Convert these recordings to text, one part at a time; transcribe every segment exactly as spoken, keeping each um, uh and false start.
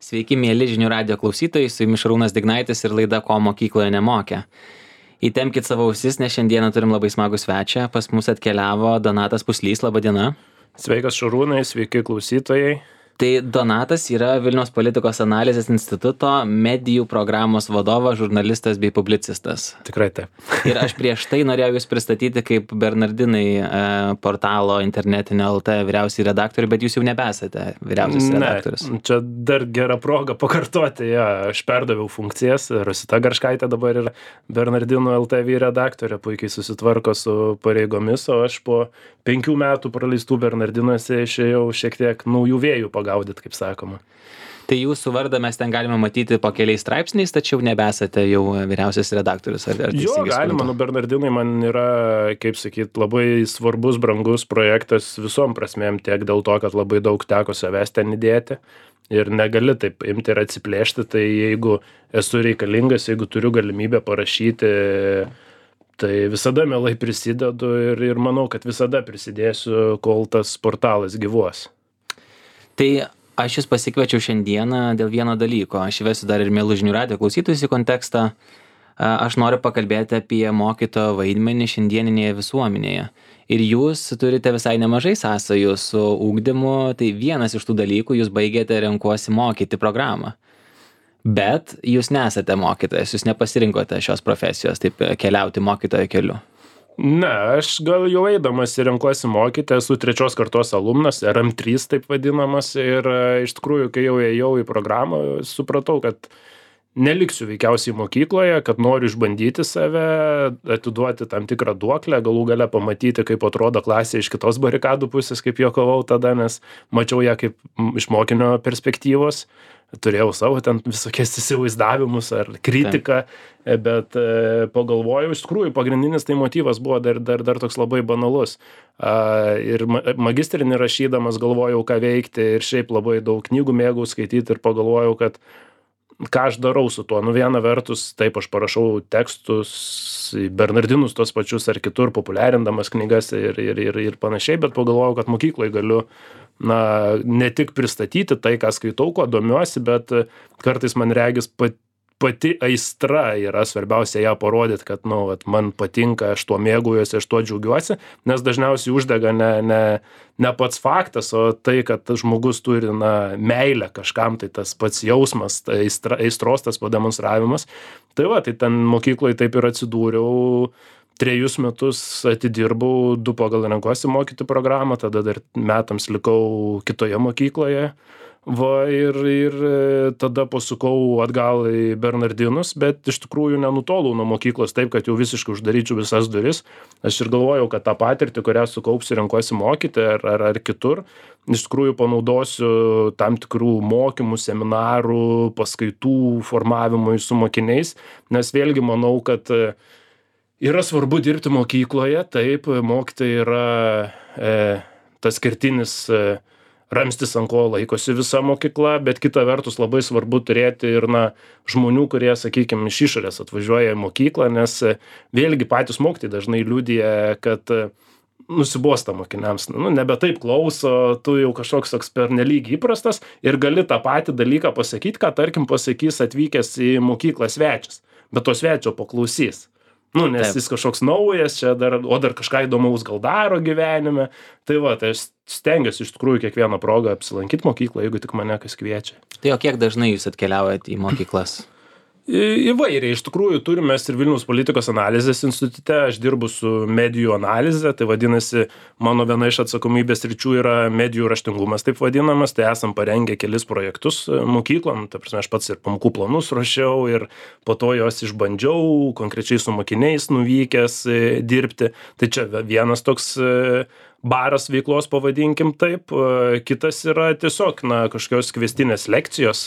Sveiki, mėly žinių radijo klausytojai, su jumis Šarūnas Dignaitis ir laida Ko mokykloje nemokė. Įtempkit savo ausis, nes šiandieną turim labai smagų svečią. Pas mus atkeliavo Donatas Puslys, laba diena. Sveikas Šarūnai, sveiki klausytojai. Tai Donatas yra Vilniaus politikos analizės instituto medijų programos vadovas, žurnalistas bei publicistas. Tikrai taip. Ir aš prieš tai norėjau jūs pristatyti kaip Bernardinai e, portalo internetinio L T vyriausiai redaktorių, bet jūs jau nebesate vyriausias redaktorius. Ne, čia dar gera proga pakartoti. Ja, aš perdaviau funkcijas. Rosita Garškaitė dabar yra Bernardinų L T vyr redaktorė, puikiai susitvarko su pareigomis, o aš po penkių metų praleistų Bernardinuose išėjau šiek tiek naujų vėjų pagaudyt, kaip sakoma. Tai jūsų vardą mes ten galime matyti po keliais straipsniais, tačiau nebesate jau vyriausias redaktorius. Ar, ar jo, galima, nu Bernardinai man yra, kaip sakyt, labai svarbus, brangus projektas visom prasmėm, tiek dėl to, kad labai daug teko savęs ten įdėti ir negali taip imti ir atsiplėšti, tai jeigu esu reikalingas, jeigu turiu galimybę parašyti, tai visada mielai prisidedu ir, ir manau, kad visada prisidėsiu, kol tas portalas gyvuos. Tai aš jūs pasikviečiau šiandieną dėl vieno dalyko. Aš įvesiu dar ir mielų žinių radijo klausytojus į kontekstą. Aš noriu pakalbėti apie mokytojo vaidmenį šiandieninėje visuomenėje. Ir jūs turite visai nemažai sąsajų su ugdymu. Tai vienas iš tų dalykų, jūs baigėte Renkuosi mokyti programą. Bet jūs nesate mokytojas, jūs nepasirinkote šios profesijos, taip keliauti mokytojo keliu. Ne, aš gal jau eidamas ir Renkuosi mokyti, esu trečios kartos alumnas, R M trys taip vadinamas, ir iš tikrųjų, kai jau ėjau į programą, supratau, kad neliksiu veikiausiai mokykloje, kad noriu išbandyti save, atiduoti tam tikrą duoklę, galų gale pamatyti, kaip atrodo klasė iš kitos barikadų pusės, kaip juokavau tada, nes mačiau ją kaip iš mokinio perspektyvos. Turėjau savo ten visokias įsivaizdavimus ar kritiką, bet e, pagalvojau, iš tikrųjų pagrindinis tai motyvas buvo dar, dar, dar toks labai banalus. A, ir ma magistrinį rašydamas galvojau, ką veikti, ir šiaip labai daug knygų mėgau skaityti, ir pagalvojau, kad ką aš darau su tuo. Nu, viena vertus, taip, aš parašau tekstus, Bernardinus tos pačius ar kitur, populiarindamas knygas ir, ir, ir, ir panašiai, bet pagalvojau, kad mokykloje galiu na, ne tik pristatyti tai, ką skaitau, kuo domiuosi, bet kartais man regis pat, pati aistra yra svarbiausia ją parodyti, kad nu, vat, man patinka, aš tuo mėgaujuosi, aš tuo džiaugiuosi, nes dažniausiai uždega ne, ne, ne pats faktas, o tai, kad tas žmogus turi na, meilę kažkam, tai tas pats jausmas, tai aistra, aistros tas pademonstravimas. Tai va, tai ten mokykloje taip ir atsidūriau. Trejus metus atidirbau, du pagal Renkuosi mokyti programą, tada dar metams likau kitoje mokykloje. Va, ir, ir tada pasukau atgal į Bernardinus, bet iš tikrųjų nenutolau nuo mokyklos taip, kad jau visiškai uždaryčiau visas duris. Aš ir galvojau, kad tą patirtį, kurią sukaupsiu Renkuosi mokyti ar, ar, ar kitur, iš tikrųjų panaudosiu tam tikrų mokymų, seminarų, paskaitų formavimui su mokiniais, nes vėlgi manau, kad yra svarbu dirbti mokykloje, taip, mokytojai yra e, tas kertinis e, ramstis, ant ko laikosi visa mokykla, bet kita vertus labai svarbu turėti ir na, žmonių, kurie, sakykime, iš išorės atvažiuoja į mokyklą, nes e, vėlgi patys mokytojai dažnai liudija, kad e, nusibosta mokiniams, nu, nebe taip klauso, tu jau kažkoks toks pernelyg įprastas ir gali tą patį dalyką pasakyti, ką tarkim pasakys atvykęs į mokyklą svečias, bet to svečio paklausys. Nu, nes Taip. Jis kažkoks naujas, čia dar, o dar kažką įdomaus gal daro gyvenime. Tai va, tai aš stengiuosi iš tikrųjų kiekvieną progą apsilankyti mokyklą, jeigu tik mane kas kviečia. Tai o kiek dažnai jūs atkeliaujate į mokyklas? Įvairiai, iš tikrųjų turime ir Vilniaus politikos analizės institute, aš dirbu su medijų analize, tai vadinasi, mano viena iš atsakomybės ryčių yra medijų raštingumas, taip vadinamas, tai esam parengę kelis projektus mokyklom, tai prasme, aš pats ir pamokų planus rašiau ir po to jos išbandžiau, konkrečiai su mokiniais nuvykęs dirbti, tai čia vienas toks baras veiklos, pavadinkim taip, kitas yra tiesiog na, kažkokios kviestinės lekcijos,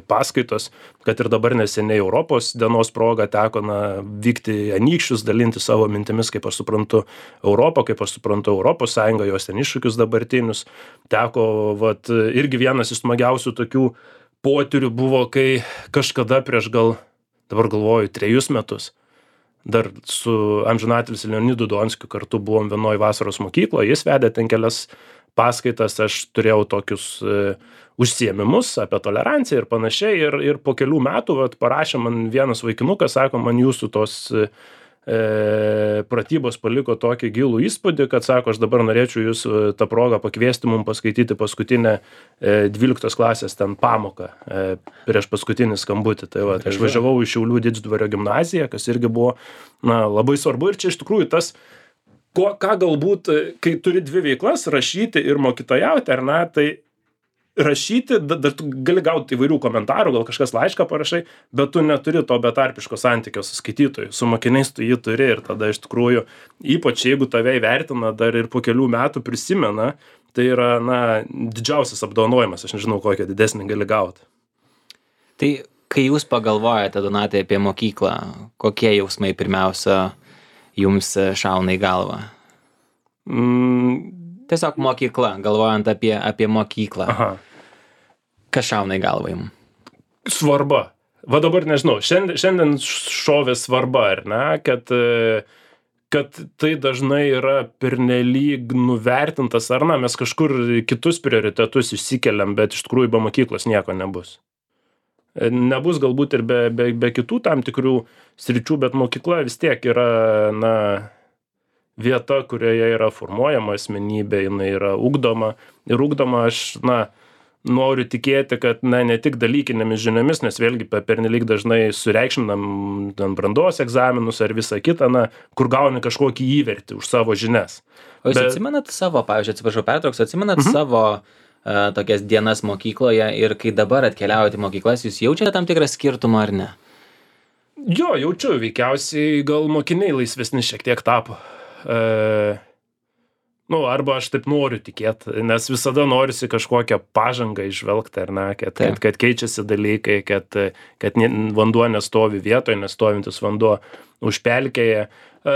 paskaitos, kad ir dabar neseniai Europos dienos proga teko na, vykti į Anykščius, dalinti savo mintimis, kaip aš suprantu Europą, kaip aš suprantu Europos Sąjungą, jos ten iššūkius dabartinius. Teko, vat, irgi vienas iš smagiausių tokių potyrių buvo, kai kažkada prieš gal, dabar galvoju, trejus metus, dar su amžinatilsiu Leonidu Donskiu kartu buvom vienoj vasaros mokykloje, jis vedė ten kelias paskaitas, aš turėjau tokius e, užsiėmimus apie toleranciją ir panašiai. Ir, ir po kelių metų vat, parašė man vienas vaikinukas, sako, man jūsų tos e, pratybos paliko tokį gilų įspūdį, kad sako, aš dabar norėčiau jūs tą progą pakviesti mums paskaityti paskutinę e, dvyliktos klasės ten pamoką e, prieš paskutinį skambutį. Tai va, aš važiavau į Šiaulių Didždvario gimnaziją, kas irgi buvo na, labai svarbu. Ir čia iš tikrųjų tas, ko, ką galbūt, kai turi dvi veiklas, rašyti ir mokytojauti, ar ne, tai rašyti, dar tu gali gauti įvairių komentarų, gal kažkas laišką parašai, bet tu neturi to betarpiško santykio su skaitytoju. Su mokiniais tu jį turi ir tada iš tikrųjų, ypač jeigu tave įvertina dar ir po kelių metų prisimena, tai yra, na, didžiausias apdovanojimas, aš nežinau, kokią didesnį gali gauti. Tai kai jūs pagalvojate, Donatai, apie mokyklą, kokie jausmai pirmiausia jums šauna į galvą? Mm. Tiesiog mokykla, galvojant apie, apie mokyklą. Aha. Kas šauna į galvą jums? Svarba. Va dabar nežinau, šiandien, šiandien šovė svarba, ar ne, kad, kad tai dažnai yra pernelyg nuvertintas, ar na, mes kažkur kitus prioritetus išsikeliam, bet iš tikrųjų be mokyklos nieko nebus. Nebus galbūt ir be, be, be kitų tam tikrų sričių, bet mokykla vis tiek yra, na, vieta, kurioje yra formuojama asmenybė, jinai yra ugdoma. Ir ugdoma aš, na, noriu tikėti, kad, na, ne tik dalykinėmis žiniomis, nes vėlgi pernelyg dažnai sureikšminam ten brandos egzaminus ar visą kitą, na, kur gauni kažkokį įvertį už savo žinias. O jūs Bet... atsimenat savo, pavyzdžiui, atsiprašau, pertrauks, atsimenat mhm. savo uh, tokias dienas mokykloje ir kai dabar atkeliaujate į mokyklas, jūs jaučiate tam tikrą skirtumą ar ne? Jo, jaučiu, veikiausiai gal mokiniai laisvesni šiek tiek tapo. E, nu, arba aš taip noriu tikėti, nes visada norisi kažkokią pažangą išvelgti, ar ne, kad, kad, kad keičiasi dalykai, kad, kad vanduo nestovi vietoje, nestovintis vanduo užpelkėje. E,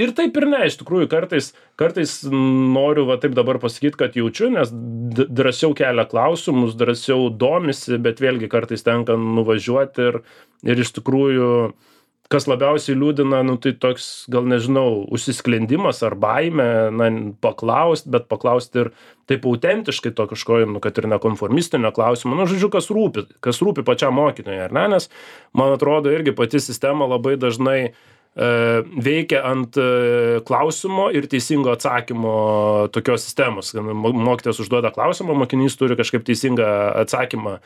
ir taip ir ne, iš tikrųjų, kartais, kartais noriu va taip dabar pasakyti, kad jaučiu, nes drąsiau kelia klausimus, drąsiau domisi, bet vėlgi kartais tenka nuvažiuoti ir, ir iš tikrųjų kas labiausiai liūdina, nu tai toks, gal nežinau, užsisklendimas ar baimė, na, paklaust, bet paklaust ir taip autentiškai to kažko, nu, kad ir nekonformistinio klausimo, nu, žodžiu, kas rūpi, kas rūpi pačiam mokytojui, ar ne, nes, man atrodo, irgi pati sistema labai dažnai e, veikia ant e, klausimo ir teisingo atsakymo tokios sistemos. Mokytojas užduoda klausimą, mokinys turi kažkaip teisingą atsakymą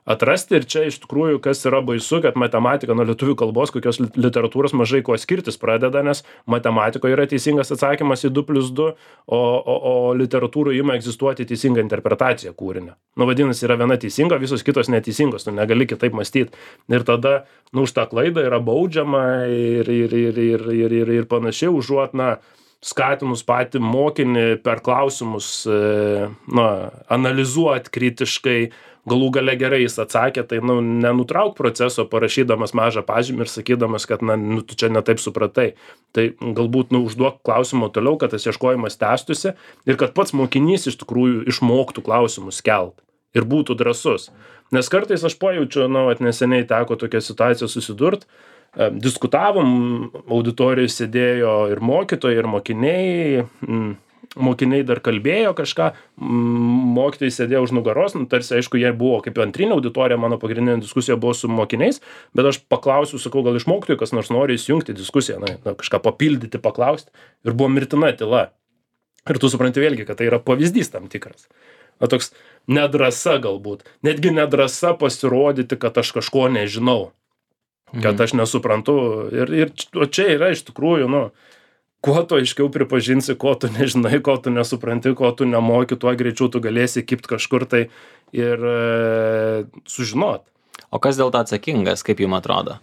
atrasti ir čia iš tikrųjų, kas yra baisu, kad matematika nuo lietuvių kalbos, kokios literatūros mažai kuo skirtis pradeda, nes matematikoje yra teisingas atsakymas į du plius du, o, o, o literatūroje ima egzistuoti teisinga interpretacija kūrinio. Nu, vadinasi, yra viena teisinga, visos kitos neteisingos, tu negali kitaip mąstyti. Ir tada, nu, už tą klaidą yra baudžiama ir, ir, ir, ir, ir, ir, ir panašiai, užuot, na, skatinus patį mokinį per klausimus, na, analizuoti kritiškai, galų gale gerai jis atsakė, tai, nu, nenutrauk proceso parašydamas mažą pažymį ir sakydamas, kad, na, nu, tu čia netaip supratai. Tai galbūt, nu, užduok klausimą toliau, kad tas ieškojimas tęstųsi ir kad pats mokinys iš tikrųjų išmoktų klausimus kelt ir būtų drąsus. Nes kartais aš pajaučiu, nu, at neseniai teko tokią situaciją susidurt, diskutavom, auditorijai sėdėjo ir mokytojai, ir mokiniai, mm, mokiniai dar kalbėjo kažką, mokytojai sėdėjo už nugaros, nu, tarsi, aišku, jie buvo kaip antrinė auditorija, mano pagrindinė diskusija buvo su mokiniais, bet aš paklausiu, sakau, gal iš mokytojų kas nors nori įsijungti diskusiją, na, na, kažką papildyti, paklausti, ir buvo mirtina tyla. Ir tu supranti vėlgi, kad tai yra pavyzdys tam tikras. Na, toks nedrąsa galbūt, netgi nedrąsa pasirodyti, kad aš kažko nežinau, kad aš nesuprantu. Ir, ir čia yra iš tikrųjų, nu, kuo tu aiškiau pripažinsi, ko tu nežinai, ko tu nesupranti, ko tu nemoki, tuo greičiau tu galėsi kipti kažkur tai ir e, sužinot. O kas dėl to atsakingas, kaip jums atrodo?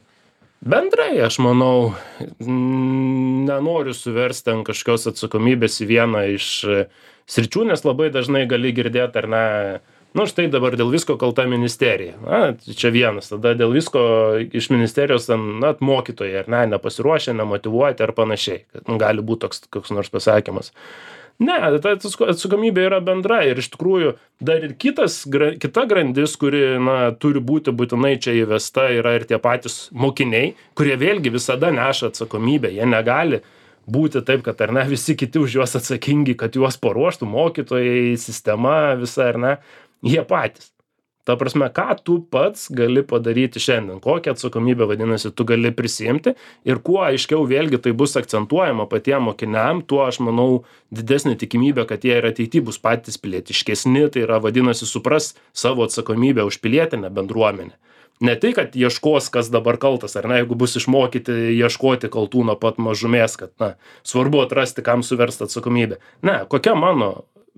Bendrai, aš manau, nenoriu suversti ant kažkokios atsakomybės į vieną iš sričių, nes labai dažnai gali girdėti, ar ne, nu štai dabar dėl visko kalta ministerija. Na, čia vienas, tada dėl visko iš ministerijos, na, mokytojai, ar ne, nepasiruošę, nemotyvuoti ar panašiai. Nu, gali būti toks koks nors pasakymas. Ne, ta atsakomybė yra bendra ir iš tikrųjų dar ir kitas, kita grandis, kuri, na, turi būti būtinai čia įvesta, yra ir tie patys mokiniai, kurie vėlgi visada neša atsakomybę. Jie negali būti taip, kad ar ne, visi kiti už juos atsakingi, kad juos paruoštų mokytojai, sistema visa, ar ne, jie patys. Ta prasme, ką tu pats gali padaryti šiandien, kokią atsakomybę, vadinasi, tu gali prisiimti ir kuo aiškiau vėlgi tai bus akcentuojama patiem mokiniam, tuo aš manau didesnė tikimybė, kad jie ir ateityje bus patys pilietiškesni, tai yra, vadinasi, supras savo atsakomybę už pilietinę bendruomenę. Ne tai, kad ieškos, kas dabar kaltas, ar ne, jeigu bus išmokyti ieškoti kaltų nuo pat mažumės, kad, na, svarbu atrasti, kam suversti atsakomybę. Ne, kokia mano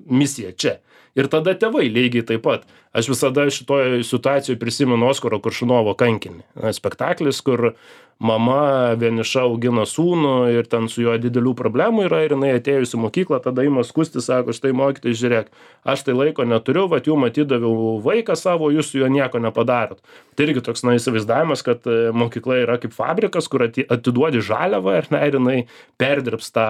misija čia? Ir tada tėvai lygiai taip pat. Aš visada šitoje situacijoje prisimenu Oskaro Koršunovo Kankinį. Spektaklis, kur mama vieniša augina sūnų ir ten su juo didelių problemų yra ir jinai atėjus į mokyklą, tada ima skusti, sako, štai mokytojai, žiūrėk, aš tai laiko neturiu, vat jum atidaviau vaiką savo, jūs su juo nieko nepadarot. Tai irgi toks, na, įsivaizdavimas, kad mokykla yra kaip fabrikas, kur atiduodi žaliavą ir, na, ir jinai perdirbs tą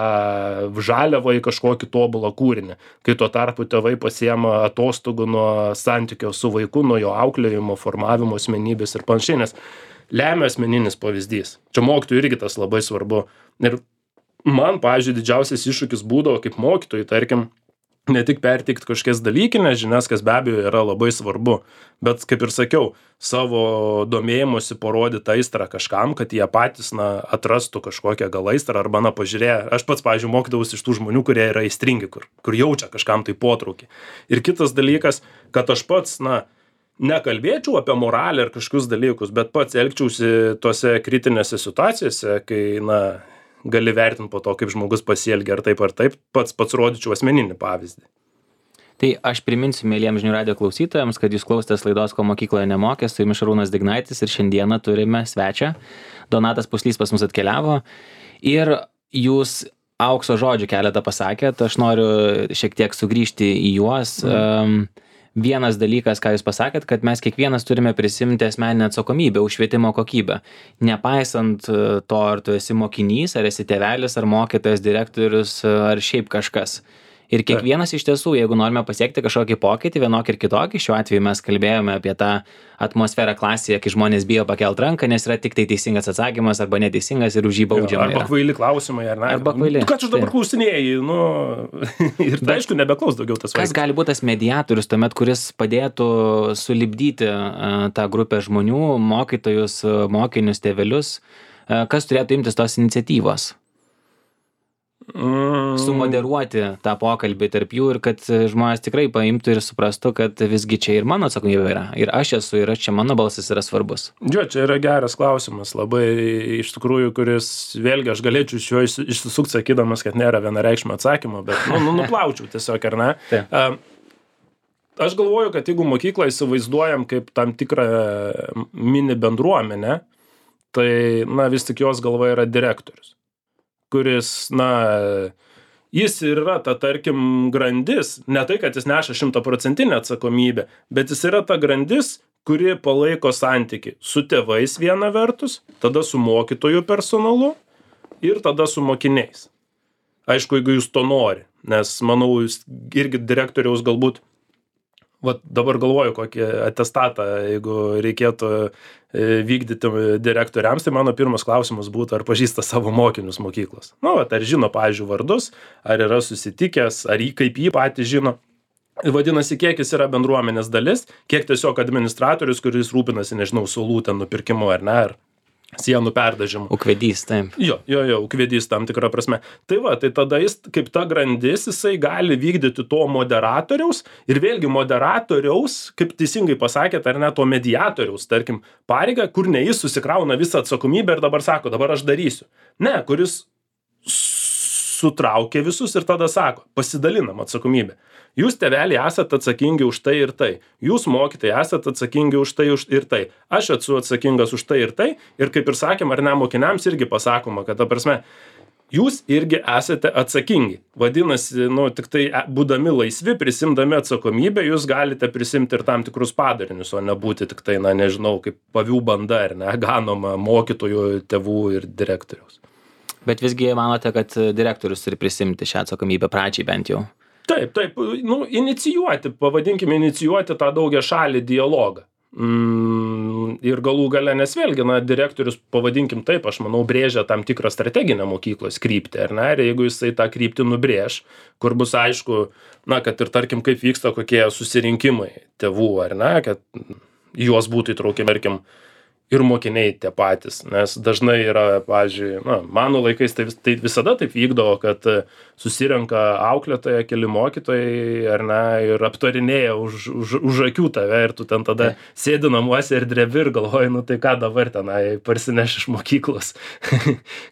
žaliavą į kažkokį tobulą kūrinį. Kai tuo tarpu tėvai pasiema atostogų nuo santykio su vaiku, nuo jo auklėjimo, formavimo asmenybės ir panašiai, nes lemia asmeninis pavyzdys. Čia mokytojui irgi tas labai svarbu. Ir man, pavyzdžiui, didžiausias iššūkis būdavo kaip mokytojui, tarkim, ne tik perteikti kažkokias dalykinės žinias, kas be abejo yra labai svarbu, bet, kaip ir sakiau, savo domėjimusi parodyti aistrą kažkam, kad jie patys, na, atrastų kažkokią gal aistrą arba, na, pažiūrėję. Aš pats, pavyzdžiui, mokydavausi iš tų žmonių, kurie yra aistringi, kur, kur jaučia kažkam tai potraukį. Ir kitas dalykas, kad aš pats, na, nekalbėčiau apie moralę ir kažkokius dalykus, bet pats elgčiausi tose kritinėse situacijose, kai, na, gali vertinti po to, kaip žmogus pasielgia ar taip ar taip, pats pats rodyčiau asmeninį pavyzdį. Tai aš priminsiu mėlyjams žinių radijo klausytojams, kad jūs klausėtės laidos Ko mokykloje nemokė, su jumis Šarūnas Dignaitis ir šiandieną turime svečią. Donatas Puslys pas mus atkeliavo ir jūs aukso žodžių keletą pasakėt, aš noriu šiek tiek sugrįžti į juos. Mm. Um, Vienas dalykas, ką jūs pasakėt, kad mes kiekvienas turime prisimti asmeninę atsakomybę už švietimo kokybę. Nepaisant to, ar tu esi mokinys, ar esi tėvelis, ar mokytojas, direktorius, ar šiaip kažkas. Ir kiekvienas iš tiesų, jeigu norime pasiekti kažkokį pokytį, vienokį ir kitokį, šiuo atveju mes kalbėjome apie tą atmosferą klasėje, kai žmonės bijo pakelt ranką, nes yra tik tai teisingas atsakymas arba neteisingas ir už jį baudžiama. Arba kvaili klausimai, ar ne? Arba kvaili. Ką tu dabar klausinėjai? Nu, ir tai aišku, nebeklaus daugiau tas vaikas. Kas gali būti tas mediatorius tuomet, kuris padėtų sulipdyti uh, tą grupę žmonių, mokytojus, mokinius, tėvelius? Uh, kas turėtų imtis tos iniciatyvos? Mm. Sumoderuoti tą pokalbį tarp jų ir kad žmonės tikrai paimtų ir suprastų, kad visgi čia ir mano atsakomybė yra. Ir aš esu, ir čia mano balsas yra svarbus. Jo, čia yra geras klausimas, labai iš tikrųjų, kuris vėlgi aš galėčiau iš jo išsisukti sakydamas, kad nėra vienareikšmio atsakymo, bet nu, nu, nuplaučiau tiesiog, ar ne? Uh, aš galvoju, kad jeigu mokyklą įsivaizduojam kaip tam tikrą mini bendruomenę, tai na, vis tik jos galva yra direktorius, kuris, na, jis ir yra ta, tarkim, grandis, ne tai, kad jis neša šimtaprocentinę atsakomybę, bet jis yra ta grandis, kuri palaiko santykį su tėvais viena vertus, tada su mokytojų personalu ir tada su mokiniais. Aišku, jeigu jūs to nori, nes, manau, jūs irgi direktoriaus galbūt, vat dabar galvoju, kokį atestatą, jeigu reikėtų vykdyti direktoriams, tai mano pirmas klausimas būtų, ar pažįsta savo mokinius mokyklos. Nu, vat, ar žino, pavyzdžiui, vardus, ar yra susitikęs, ar jį kaip jį patį žino. Vadinasi, kiek jis yra bendruomenės dalis, kiek tiesiog administratorius, kuris rūpinasi, nežinau, suolų ten nupirkimu ar ne, ar sienų perdažimu. Ūkvedys, taip. Jo, jo, jo, ūkvedys tam tikrą prasme. Tai va, tai tada jis, kaip ta grandis, jisai gali vykdyti to moderatoriaus ir vėlgi moderatoriaus, kaip teisingai pasakėt, ar ne, to mediatoriaus, tarkim, pareigą, kur ne jis susikrauna visą atsakomybę ir dabar sako, dabar aš darysiu. Ne, kuris sutraukia visus ir tada sako, pasidalinam atsakomybę. Jūs, tėveliai, esate atsakingi už tai ir tai. Jūs, mokytojai, esate atsakingi už tai ir tai. Aš esu atsakingas už tai ir tai. Ir kaip ir sakėm, ar ne, mokiniams irgi pasakoma, kad, ta prasme, jūs irgi esate atsakingi. Vadinasi, nu, tik tai būdami laisvi, prisimdami atsakomybę, jūs galite prisimti ir tam tikrus padarinius, o nebūti tik tai, na, nežinau, kaip pavių banda, ar ne, ganoma mokytojų, tėvų ir direktoriaus. Bet visgi manote, kad direktorius turi prisimti šią atsakomybę pradžiai bent jau? Taip, taip, nu, inicijuoti, pavadinkime, inicijuoti tą daugia šalį dialogą. Mm, ir galų gale, nes vėlgi, na, direktorius, pavadinkim taip, aš manau, brėžia tam tikrą strateginę mokyklos kryptį, ar ne, ir jeigu jisai tą kryptį nubrėž, kur bus aišku, na, kad ir tarkim, kaip vyksta kokie susirinkimai tėvų, ar ne, kad juos būtų įtraukiami, tarkim, ir mokiniai tie patys, nes dažnai yra, pavyzdžiui, na, mano laikais tai, vis, tai visada taip vykdavo, kad susirenka auklėtoja, keli mokytojai, ar ne, ir aptarinėja už, už, už akių tave ir tu ten tada tai sėdi namuose ir drebi ir galvoji, nu tai ką dabar tenai parsineš iš mokyklos,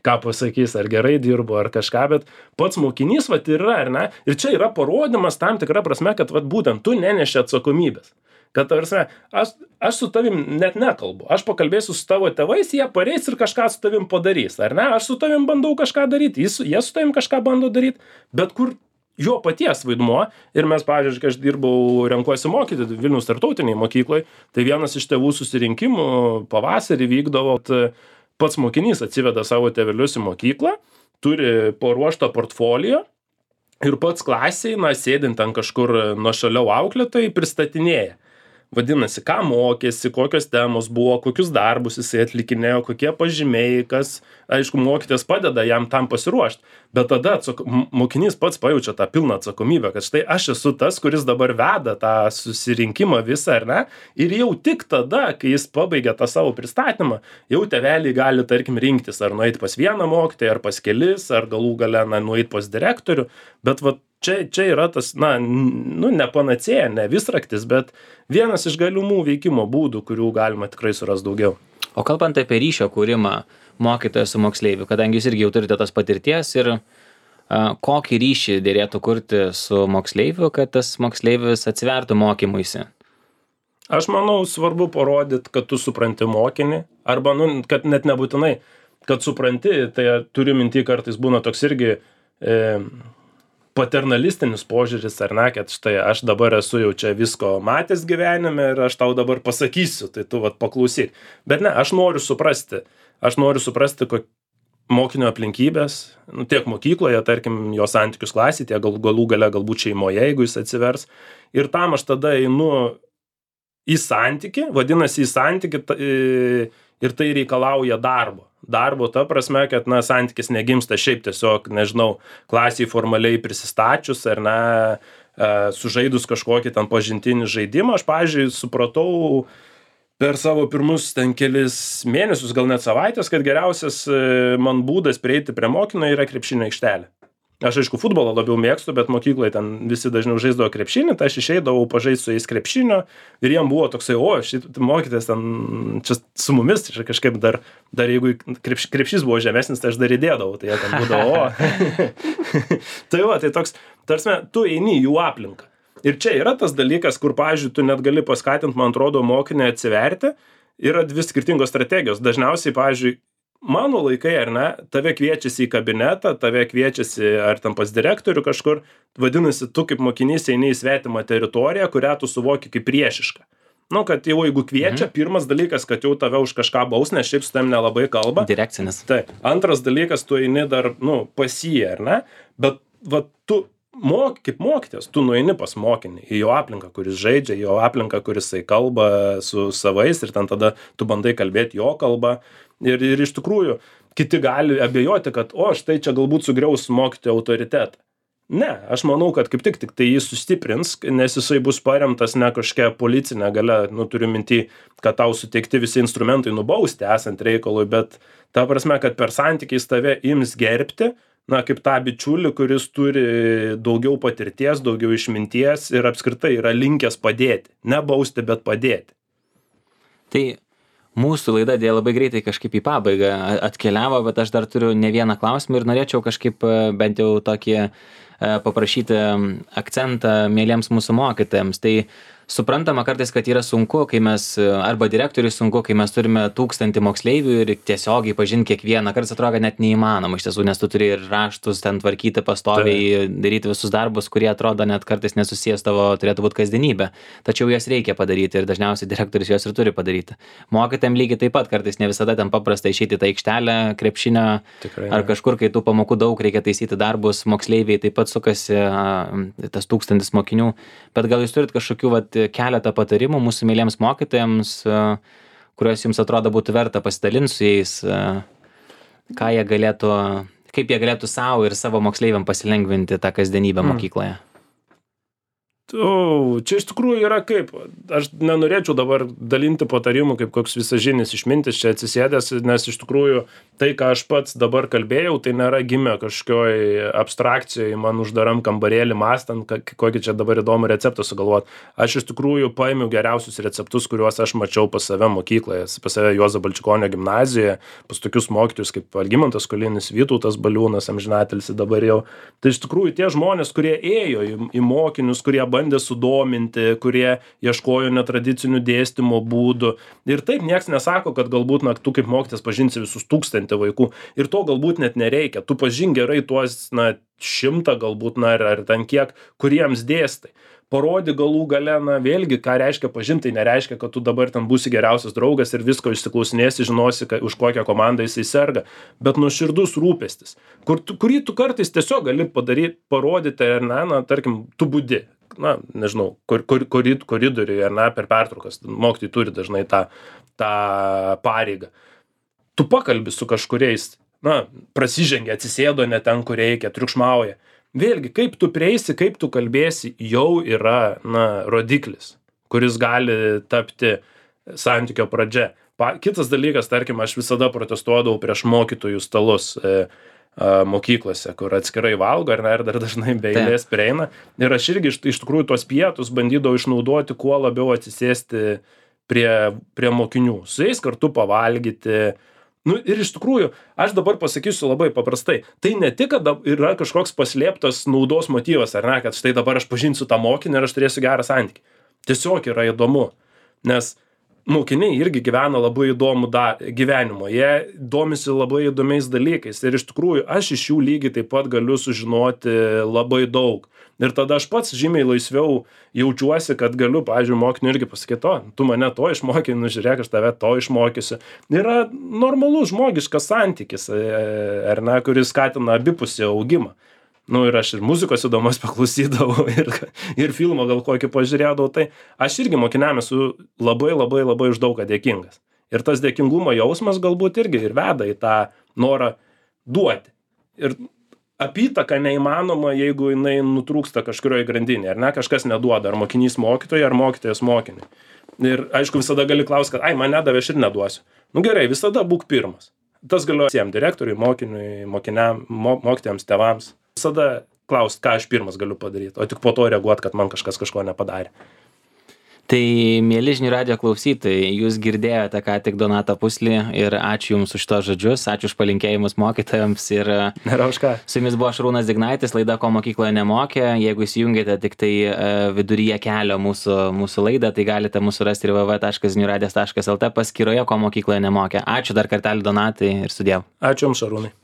ką pasakys, ar gerai dirbo, ar kažką, bet pats mokinys vat yra, ar ne, ir čia yra parodymas tam tikra prasme, kad vat būtent tu neneši atsakomybės. Kad, tarsi, aš, aš su tavim net nekalbu. Aš pakalbėsiu su tavo tėvais, jie pareis ir kažką su tavim padarys, ar ne? Aš su tavim bandau kažką daryti, jis, jie su tavim kažką bando daryti, bet kur jo paties vaidmuo, ir mes, pavyzdžiui, kai aš dirbau, renkuosi mokyti Vilniaus tarptautiniai mokyklai, tai vienas iš tėvų susirinkimų pavasarį vykdavo, pats mokinys atsiveda savo tėvelius į mokyklą, turi paruoštą portfolio ir pats klasiai, na, sėdint ant kažkur nuošaliau auklėtojai, pristatinėja. Vadinasi, ką mokėsi, kokios temos buvo, kokius darbus jisai atlikinėjo, kokie pažymiai, kas, aišku, mokytojas padeda jam tam pasiruošti, bet tada atsak... mokinys pats pajaučia tą pilną atsakomybę, kad štai aš esu tas, kuris dabar veda tą susirinkimą visą, ar ne, ir jau tik tada, kai jis pabaigia tą savo pristatymą, jau tėveliai gali, tarkim, rinktis, ar nueiti pas vieną mokytoją, ar pas kelis, ar galų gale, na, nueiti pas direktorių, bet va, Čia, čia yra tas, na, nu, ne panacėja, ne visraktis, bet vienas iš galimų veikimo būdų, kurių galima tikrai surasti daugiau. O kalbant apie ryšio kūrimą mokytojo su moksleiviu, kadangi jūs irgi jau turite tos patirties ir a, kokį ryšį dėrėtų kurti su moksleiviu, kad tas moksleivis atsivertų mokymuisi? Aš manau, svarbu parodyti, kad tu supranti mokinį, arba, nu, kad net nebūtinai, kad supranti, tai turiu minty kartais būna toks irgi... E, paternalistinis požiūris, ar ne, kad štai aš dabar esu jau čia visko matęs gyvenime ir aš tau dabar pasakysiu, tai tu vat paklausyk. Bet ne, aš noriu suprasti, aš noriu suprasti, kokie mokinio aplinkybės, nu, tiek mokykloje, tarkim, jo santykius klasėje, tiek gal, galų gale galbūt šeimoje, jeigu jis atsivers. Ir tam aš tada einu į santykį, vadinasi į santykį ir tai reikalauja darbo. Darbo ta prasme, kad, na, santykis negimsta šiaip tiesiog, nežinau, klasiai formaliai prisistačius ar ne, sužaidus kažkokį ten pažintinį žaidimą. Aš, pavyzdžiui, supratau per savo pirmus ten kelis mėnesius, gal net savaitės, kad geriausias man būdas prieiti prie mokinio yra krepšinio aikštelė. Aš, aišku, futbolą labiau mėgstu, bet mokykloje ten visi dažniau žaisdavo krepšinį, tai aš išeidavau pažaisti su jais krepšinio ir jiem buvo toksai, o, šit mokytis ten čia su mumis, čia kažkaip dar, dar jeigu krepš, krepšys buvo žemesnis, tai aš dar įdėdavau, tai jie ten būdavo, o. Tai va, tai toks, tarsi, tu eini į jų aplinką. Ir čia yra tas dalykas, kur, pavyzdžiui, tu net gali paskatinti, man atrodo, mokinį atsiverti, yra dvi skirtingos strategijos. Dažniausiai, pavyzdžiui, mano laikai, ar ne, tave kviečiasi į kabinetą, tave kviečiasi ar tam pas direktorių kažkur, vadinasi, tu kaip mokinys eini į svetimą teritoriją, kurią tu suvoki kaip priešišką. Nu, kad jau jeigu kviečia, mhm. pirmas dalykas, kad jau tave už kažką baus, nes šiaip su tam nelabai kalba. Direkcinis. Tai antras dalykas, tu eini dar, nu, pas jį, ar ne, bet va, tu mok, kaip mokytės, tu nueini pas mokinį, į jo aplinką, kuris žaidžia, į jo aplinką, kuris jisai kalba su savais ir ten tada tu bandai kalbėti jo kalbą. Ir, ir iš tikrųjų, kiti gali abejoti, kad, o, štai čia galbūt sugriaus mokytojo autoritetą. Ne, aš manau, kad kaip tik, tik tai jis sustiprins, nes jisai bus paremtas ne kažkokia policinė galia, nu, turiu minty, kad tau suteikti visi instrumentai nubausti esant reikalui, bet ta prasme, kad per santykiais tave ims gerbti, na, kaip tą bičiulį, kuris turi daugiau patirties, daugiau išminties ir apskritai yra linkęs padėti. Ne bausti, bet padėti. Tai mūsų laida dėl labai greitai kažkaip į pabaigą atkeliavo, bet aš dar turiu ne vieną klausimą ir norėčiau kažkaip bent jau tokį paprašyti akcentą mieliems mūsų mokytojams. Tai suprantama kartais, kad yra sunku, kai mes, arba direktoriui sunku, kai mes turime tūkstantį moksleivių ir tiesiogiai pažinti kiekvieną. Kartais atrodo net neįmanoma iš tiesų, nes tu turi ir raštus ten tvarkyti pastoviai, tai daryti visus darbus, kurie atrodo net kartais nesusijęs tavo turėtų būti kasdienybė. Tačiau jas reikia padaryti ir dažniausiai direktorius jos ir turi padaryti. Mokytojams lygiai taip pat kartais ne visada ten paprasta išeiti į tą aikštelę, krepšinio Tikrai, ar kažkur, kai tų pamokų daug, reikia taisyti darbus, moksleiviai taip pat sukasi tas tūkstantis mokinių. Bet gal jūs turit kažkokių vat, keletą patarimų mūsų myliems mokytojams, kuriuos jums atrodo būtų verta pasidalinti su jais, ką jie galėtų, kaip jie galėtų savo ir savo moksleiviam pasilengvinti tą kasdienybę Mm. mokykloje? O, čia iš tikrųjų yra kaip, aš nenorėčiau dabar dalinti patarimų kaip koks visažinis išmintis čia atsisėdęs, nes iš tikrųjų tai, ką aš pats dabar kalbėjau, tai nėra gimę kažkokioj abstrakcijoje, man uždaram kambarėlį mąstant, kokį čia dabar įdomų receptą sugalvot. Aš iš tikrųjų paėmiau geriausius receptus, kuriuos aš mačiau pas save mokykloje, pas save Juozo Balčikonio gimnazijoje, pas tokius mokytojus kaip Algimantas Kolinis, Vytautas Baliūnas, amžinatilsį dabar jau. Tai iš tikrųjų tie žmonės, kurie ėjo į, į mokinius, kurie bandė sudominti, kurie ieškojo netradicinių dėstymo būdų. Ir taip nieks nesako, kad galbūt na, tu kaip mokytis pažinsi visus tūkstantį vaikų. Ir to galbūt net nereikia. Tu pažink gerai tuos na, šimtą galbūt na, ar, ar ten kiek, kuriems dėstai. Parodi galų gale, na vėlgi, ką reiškia pažinti, tai nereiškia, kad tu dabar ten būsi geriausias draugas ir visko išsiklausinėsi, žinosi, ka, už kokią komandą jisai serga, bet nuoširdus rūpestis, kur tu, kurį tu kartais tiesiog gali padaryti, parodyti, ar ne, na, tarkim, tu budi, na, nežinau, kur, kur, korid, koridoriuje, ar ne, per pertraukas, mokytojai turi dažnai tą, tą pareigą. Tu pakalbi su kažkuriais, na, prasižengia, atsisėdo ne ten, kur reikia, triukšmauja. Vėlgi, kaip tu prieisi, kaip tu kalbėsi, jau yra, na, rodiklis, kuris gali tapti santykio pradžia. Pa, kitas dalykas, tarkim, aš visada protestuodavau prieš mokytojų stalus e, e, mokyklose, kur atskirai valgo, ar ne, ir dar dažnai be eilės prieina. Ir aš irgi iš, iš tikrųjų tuos pietus bandydavau išnaudoti, kuo labiau atsisėsti prie, prie mokinių. Su jais kartu pavalgyti. Nu, ir iš tikrųjų, aš dabar pasakysiu labai paprastai, tai ne tik, kad yra kažkoks paslėptas naudos motyvas, ar ne, kad štai dabar aš pažinsiu tą mokinį ir aš turėsiu gerą santykį. Tiesiog yra įdomu, nes mokiniai irgi gyvena labai įdomų da, gyvenimą, jie domisi labai įdomiais dalykais ir iš tikrųjų aš iš jų lygiai taip pat galiu sužinoti labai daug. Ir tada aš pats žymiai laisviau jaučiuosi, kad galiu, pavyzdžiui, mokiniui irgi pasakyti, o, tu mane to išmokei, nu žiūrėk, aš tave to išmokysiu. Yra normalus žmogiškas santykis, ar ne, kuris skatina abipusį augimą. Nu ir aš ir muzikos įdomus paklausydavau ir, ir filmą gal kokį pažiūrėdavau, tai aš irgi mokiniam esu labai labai labai už daug dėkingas. Ir tas dėkingumo jausmas galbūt irgi ir veda į tą norą duoti. Ir apytaka neįmanoma, jeigu jinai nutrūksta kažkurioje grandinėje, ar ne, kažkas neduoda, ar mokinys mokytojai, ar mokytojas mokiniui. Ir aišku, visada gali klausti, kad, ai, man nedavė, aš ir neduosiu. Nu gerai, visada būk pirmas. Tas galioja visiems direktoriui, mokiniui, mokiniam, mo, mokytojams, tėvams. Visada klausti, ką aš pirmas galiu padaryti, o tik po to reaguoti, kad man kažkas kažko nepadarė. Tai, mieli žinių radijo klausytojai, jūs girdėjote ką tik Donatą Puslį ir ačiū Jums už tos žodžius, ačiū už palinkėjimus mokytojams ir Nėra už ką. Su Jumis buvo Šarūnas Dignaitis, laida Ko mokykloje nemokė. Jeigu įsijungėte tik tai viduryje kelio mūsų, mūsų laidą, tai galite mūsų rasti ir w w w taškas žinių radijas taškas l t paskyroje Ko mokykloje nemokė. Ačiū dar kartelį Donatai ir sudiev. Ačiū Jums, Šarūnai.